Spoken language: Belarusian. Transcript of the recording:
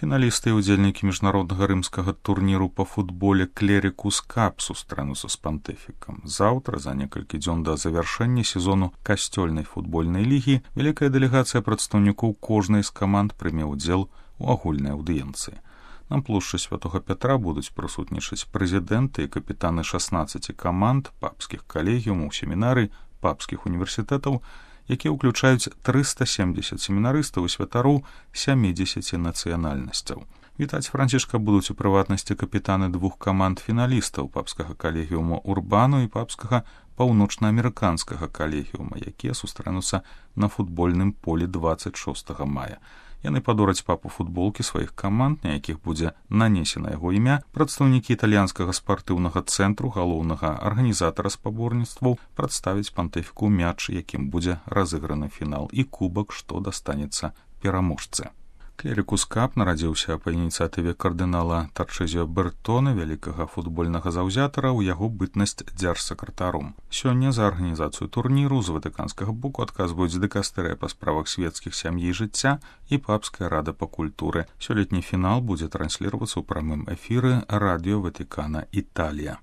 Фіналісты і ўдзельнікі міжнароднага рымскага турніру па футболе Клерікус Кап сустрэнуцца з пантыфікам. Заўтра, за некалькі дзён да завяршэння сезону касцёльнай футбольнай лігі, вялікая дэлегацыя прадстаўнікоў кожнай з каманд прыме ўдзел у агульнай аўдыенцыі. На плошчы Святога Пятра будуць прысутнічаць прэзідэнты і капітаны 16 каманд, папскіх калегіумаў, семінарый, папскіх універсітэтаў, якія ўключаюць 370 семінарыстаў і святароў 70 нацыянальнасцяў. Вітаць Францішка будуць у прыватнасці капітаны двух каманд фіналістаў папскага калегіума Урбану і папскага паўночнаамерыканскага калегіума, якія сустрэнуцца на футбольным полі 26 мая. Яны падораць папу футболкі сваіх каманд, на якіх будзе нанесена яго імя, прадстаўнікі італьянскага спартыўнага цэнтру, галоўнага арганізатара спаборніцтваў, прадставіць пантыфіку мяч, якім будзе разыграны фінал, і кубак, што дастанецца пераможцы. Клерікус Кап нарадзіўся па ініцыятыве кардынала Тарчэзіо Бертона, вялікага футбольнага заўзятара, ў яго бытнасць дзяржсакратаром. Сёння за арганізацыю турніру з ватыканскага боку адказваюць дыкастэрыя па справах свецкіх сям'і і жыцця і папская рада па культуры. Сёлетні фінал будзе трансліравацца ў прамым эфіры радыё Ватыкана Італія.